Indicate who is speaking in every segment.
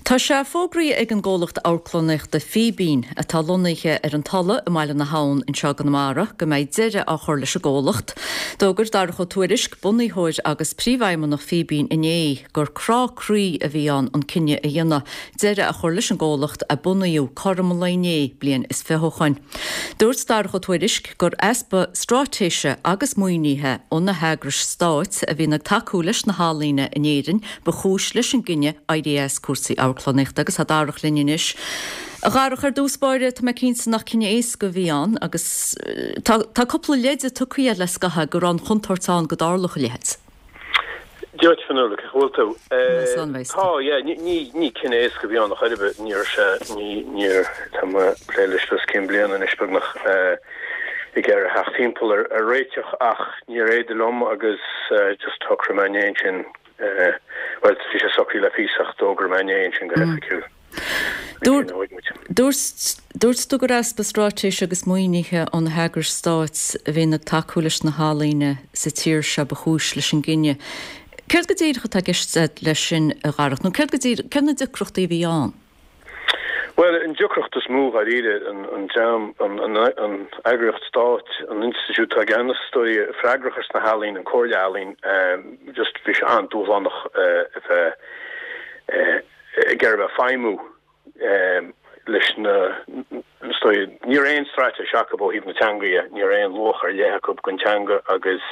Speaker 1: Tá sé fógraithe ag an gcomhlacht amharclannaíochta Fíbín, atá lonnaithe ar an Tulaigh i mBaile na hAbhann anseo i gConamara, go mbeidh deireadh á chur leis an gcomhlacht. D'fhógair Darach Ó Tuairisg, bunaitheoir agus príomhfheidhmeannach Fíbín inné gur crá croí a bhí ann an cinneadh a dhéanamh deireadh a chur leis an gcomhlacht a bunaíodh cothrom an lae inné bliain is 20 ó shoin. Dúirt Darach Ó Tuairisg gur easpa stráitéise agus maoinithe ó na heagrais stáit a bhíonn ag tacú leis na healaíona in Éirinn ba chúis leis an gcinneadh éirí as cúrsaí amharclannaíochta agus tá Darach linn anois. A Dharach, ar dtús báire, tá mé cinnte nach cinneadh éasca a bhí ann agus tá tá cúpla leide tugtha agat le scaitheamh go raibh an chontúirt ann go dtarlódh a leithéid.
Speaker 2: Dia duit, Fionnuala, cén chaoi a bhfuil tú? Tá, yeah, ní ní cinneadh éasca a bhí ann ar chor ar bith, ní raibh sé, ní níor, tá mé ag plé leis os cionn bliana anois beagnach ag iarraidh theacht timpeall ar ar réiteach ach níor fhéidir liom agus just shocraigh mé inné ansin Bhuel, bhí sé socraithe le píosa ach d'fhógair mé inné ansin go hoifigiúil.
Speaker 1: Dúirt dúirt tú gur easpa straitéise agus maoinithe ó na heagrais stáit a bhíonn ag tacú leis na healaíona sa tír seo ba chúis leis an gcinneadh. Céard go díreach atá i gceist leis sin, a Dharach, nó céard go díreach, céard na deacrachtaí a bhí ann?
Speaker 2: Bhuel, an deacracht is mó, dháiríre, an dream, an eagraíocht stáit, an institiúid atá i gceannas, is dóigh, freagrach as na healaíona, an Comhairle Ealaíon, just bhí sé an-dúshlánach a bheith ag iarraidh a bheith ag feidhmiú leis na, is dóigh, ní raibh aon straitéis acu ó thaobh na teanga dhe, ní raibh aon luach ar leith acu don teanga agus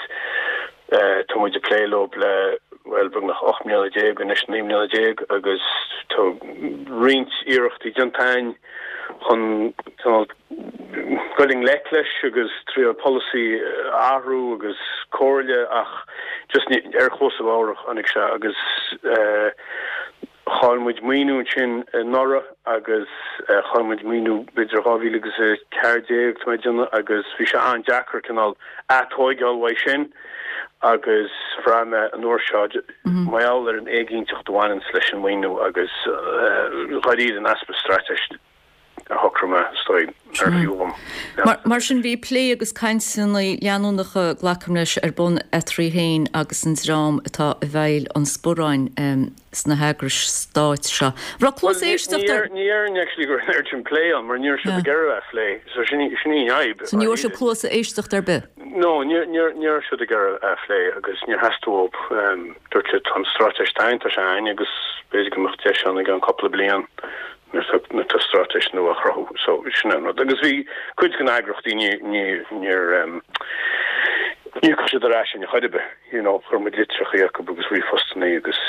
Speaker 2: Tá muid ag plé leo le, bhuel, beagnach 18 mbliana anois, 19 mbliana agus tá roinnt iarrachtaí déanta againn chun cineál dul i ngleic leis agus triail polasaí a athrú agus comhairle ach just ní, ar chluasa bhodhar a tháinig sé agus Chaill muid maoiniú ansin anuraidh agus chaill muid maoiniú b'fhéidir 2014 tá mé ag déanamh agus bhí sé an-deacair cineál atóigeáil uaidh sin agus bhraith mé an uair seo mar gheall ar an éiginnteacht a bhaineanns leis an maoiniú agus dháiríre an easpa straitéis a shocraigh mé, is dóigh, nárbh fhiú
Speaker 1: dhom leanacht. Mar sin, bhí plé agus cainteanna leanúnacha, glacaim leis, ar bun eatarthu féin agus an dream atá i bhfeighil an sparráin sna heagrais stáit seo. Raibh cluas éisteachta
Speaker 2: ar. Ní déarfainn actually go raibh an oiread sin plé ann mar ní raibh siad ag iarraidh a bheith ag plé, so sin í an fhadhb.
Speaker 1: So ní bhfuair sibh cluas éisteachta ar bith?
Speaker 2: No, ní raibh siad ag iarraidh a bheith ag plé agus níor theastaigh uathu. Dúirt siad tá an straitéis againn, tá sé againn agus b'fhéidir go mbeadh deis ann i gceann cúpla bliain. nuair atá straitéis nua á chruthú. So, sin an rud. Agus bhí cuid de na heagrachtaí, ní, ní, níor, em, níor chuir siad ar ais in chor ar bith. You know, chuir muid litreacha acu agus ríomhphostanna agus,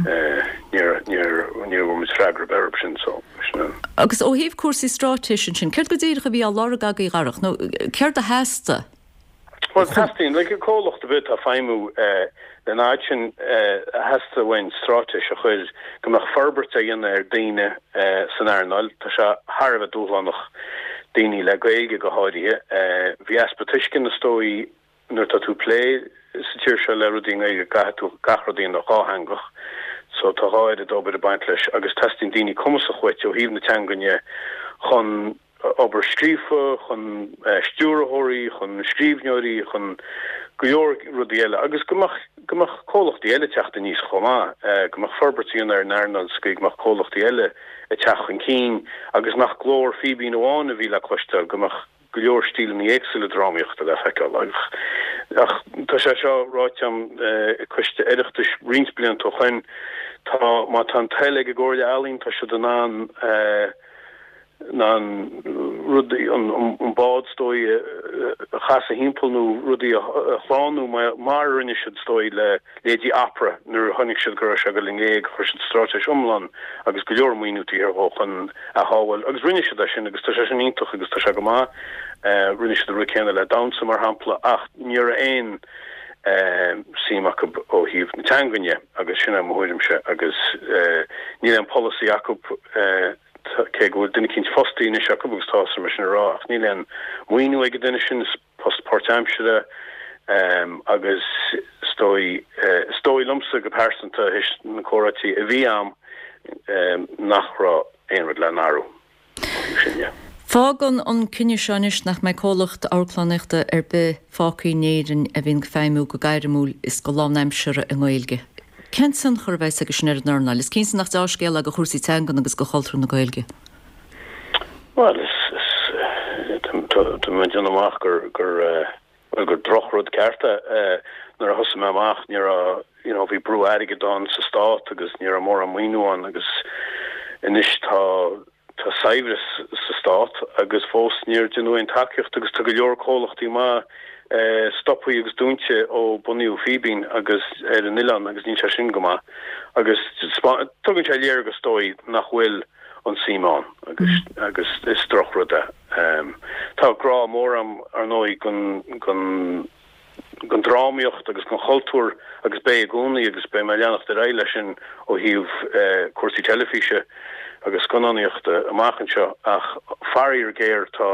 Speaker 2: eh, níor, níor, níor bhfuair muid freagra ar bith orthu sin. So, sin
Speaker 1: an. Agus ó thaobh cúrsaí straitéise ansin, céard go díreach a bhí á lorg agaibh, a Dharach, nó céard a theastaigh?
Speaker 2: Bhuel, teastaíonn, like, comhlacht ar bith atá ag feidhmiú lena fhad sin, theastaigh uainn straitéis a chuir go mbeadh forbairt á dhéanamh ar daoine san earnáil. Tá sé thar a bheith dúshlánach, daoine le Gaeilge go háirithe. Bhí easpa tuisceana is dóigh nuair atá tú ag plé sa tír seo le rudaí i nGaeilge, caithfidh tú gach rud a dhéanamh dhátheangach. So tá dhá oiread obair ag baint leis agus teastaíonn daoine cumasach uait ó thaobh na teangan dhe chun obair scríofa, chun stiúrthóirí, chun scríbhneoirí, chun go leor rudaí eile agus go mbeadh, go mbeadh comhlachtaí eile ag teacht aníos chomh maith, go mbeadh forbairt á dhéanamh ar an earnáil sa gcaoi go mbeadh comhlachtaí eile ag teacht chun cinn agus nach glór Fíbín amháin a bhí le cloisteáil, go mbeadh go leor stíleanna éagsúla drámaíochta le feiceáil. Ach tá sé seo ráite agam ag coiste Oireachtais roinnt blianta ó shoin, tá, má tá an toil ag an gComhairle Ealaíon, tá siad in ann, in ann rudaí, an bád is dóigh a chasadh thimpeall nó rudaí a shlánú mar a rinne siad is dóigh le leithéidí Opera nuair a chonaic siad go raibh sé ag dul in éag, chuir siad straitéis iomlán agus go leor maoiniú taobh thiar dhó chun a shábháil agus rinne siad é sin agus tá sé sin iontach agus tá sé go maith. Rinne siad an rud céanna le damhsa mar shampla ach ní raibh aon suim acu ó thaobh na teangan dhe agus sin é mo thuairimse agus níl aon polasaí acu. Cé go bhfuil duine eicínt fostaithe anois acu, agus tá orm é sin a rá, ach níl aon mhaoiniú ag an duine sin, is post páirtaimseartha agus is dóigh, is dóigh liomsa go pearsanta, théis na comhráití a bhí a'm, nach raibh aon rud le n-athrú ó
Speaker 1: thaobh sin dhe. Fágann an cinneadh seo anois nach mbeidh comhlacht amharclannaíochta ar bith fágtha in Éirinn a bhíonn ag feidhmiú go gairmiúil is go lánaimseartha i nGaeilge. Cén tionchar a bheas aige sin ar an earnáil? Is cinnte nach deá-scéal é do chúrsaí teangan agus do chultúr na Gaeilge.
Speaker 2: Bhuel, is, is, tá mé ag déanamh amach gur, gur, bhuel, gur drochrud ceart é. Nuair a thosaigh mé amach ní raibh, you know, bhí brú airgid ann sa stát agus ní raibh mórán maoiniú ann agus anois tá, Tá saibhreas sa stát agus fós níor deineadh aon tacaíocht agus tá go leor comhlachtaí maith stopthaí agus dúnta ó bunaíodh Fíbín agus ar an oileán agus níl sé sin go maith agus tugann sé léargas is dóigh nach bhfuil an suim ann agus agus is drochrud é. Tá grá mór agam ar ndóigh don don don drámaíocht agus don chultúr agus beidh i gcónaí agus beidh mé ag leanacht ar aghaidh leis sin ó thaobh cúrsaí teilifíse agus scannánaíochta amach anseo ach faraor géar tá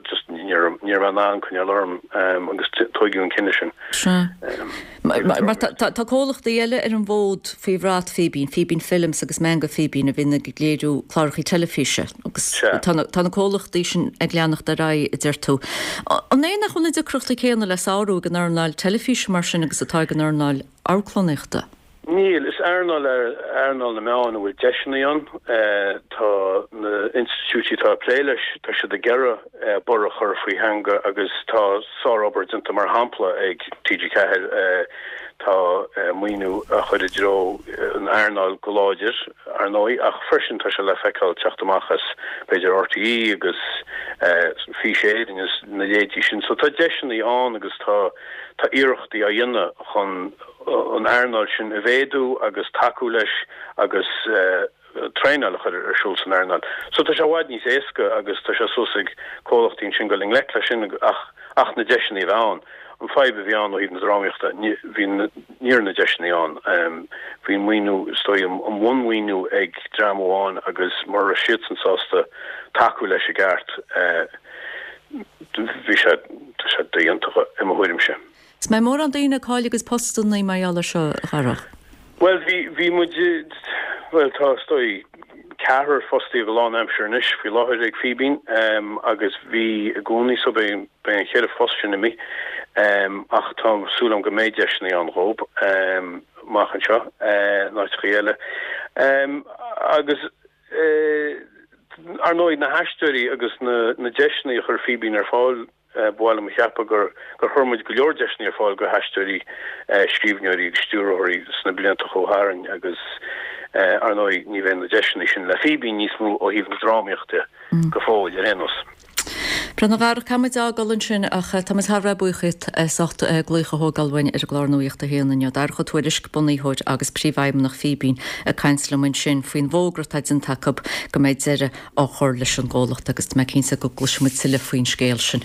Speaker 2: just ní raibh mé in ann coinneáil orm agus tóigeadh an cinneadh sin.
Speaker 1: Sea. Mar tá comhlachtaí eile ar an bhfód faoi bhrat Fíbín, Fíbín Films agus Meangadh Fíbín a bhíonn ag léiriú cláracha teilifíse agus tá na comhlachtaí sin ag leanacht ar aghaidh, a deir tú. An é nach bhfuil na deacrachtaí céanna le sárú ag an earnáil teilifíse mar sin agus atá ag an earnáil amharclannaíochta?
Speaker 2: Níl. Is earnáil é earnáil na meán a bhfuil deiseanna ann. Tá na institiúidí atá ag plé leis, tá siad ag iarraidh borradh a chur faoi theanga agus tá sárobair déanta mar shampla ag TG4. Tá maoiniú á chur i dtreo an earnáil go láidir. ar ndóigh, ach freisin tá sé le feiceáil teacht amach as, b'fhéidir, RTÉ agus Fís Éireann agus na leithéidí sin. So tá deiseanna ann agus tá tá iarrachtaí á dhéanamh chun an earnáil sin a mhéadú agus tacú leis agus traenáil a chur ar siúl san earnáil. So tá sé i bhfad níos éasca agus tá sé suas ag comhlachtaí ansin dul i ngleic leis sin ach ach na deiseanna a bheith ann. An fadhb a bhí ann ó thaobh na drámaíochta, ní bhí ní raibh na deiseanna ann. Bhí an maoiniú, is dóigh, an bhunmhaoiniú ag dream amháin agus mura raibh siadsan sásta tacú leis i gceart, bhí sé, tá sé dodhéanta i mo thuairimse.
Speaker 1: Is mbeidh mórán daoine ag cailleadh a gcuid postanna mar gheall air seo, a Dharach?
Speaker 2: Bhuel, bhí, bhí muid, bhuel, tá, is dóigh, ceathrar fostaithe go lánaimseartha anois faoi láthair ag Fíbín agus bhí i gcónaí so beidh, beidh an cheithre phost sin imithe ach tá súil agam go mbeidh deiseanna ann dhóibh amach anseo in áiteachaí eile. Agus ar ndóigh na haisteoirí agus na deiseanna a chuir Fíbín ar fáil, ba mhaith liom a cheapadh gur gur chuir muid go leor deiseanna ar fáil go haisteoirí, scríbhneoirí agus stiúrthóirí sna blianta a chuaigh tharainn agus ar ndóigh ní bheidh na deiseanna sin le Fíbín níos mó ó thaobh na drámaíochta go fóill ar aon nós.
Speaker 1: Bhuel, a Dharach, caithfidh muid a fhágáil ansin ach tá muid thar a bheith buíoch díot as ucht glaoch a thógáil uainn ar an gclár Nuacht a hAon inniu. Darach Ó Tuairisg, bunaitheoir agus príomhfheidhmeannach Fíbín ag caint liom ansin faoin bhfógra atá déanta acu go mbeidh deireadh á chur leis an gcomhlacht agus tá mé cinnte go gcloisfidh muid tuilleadh faoin scéal sin.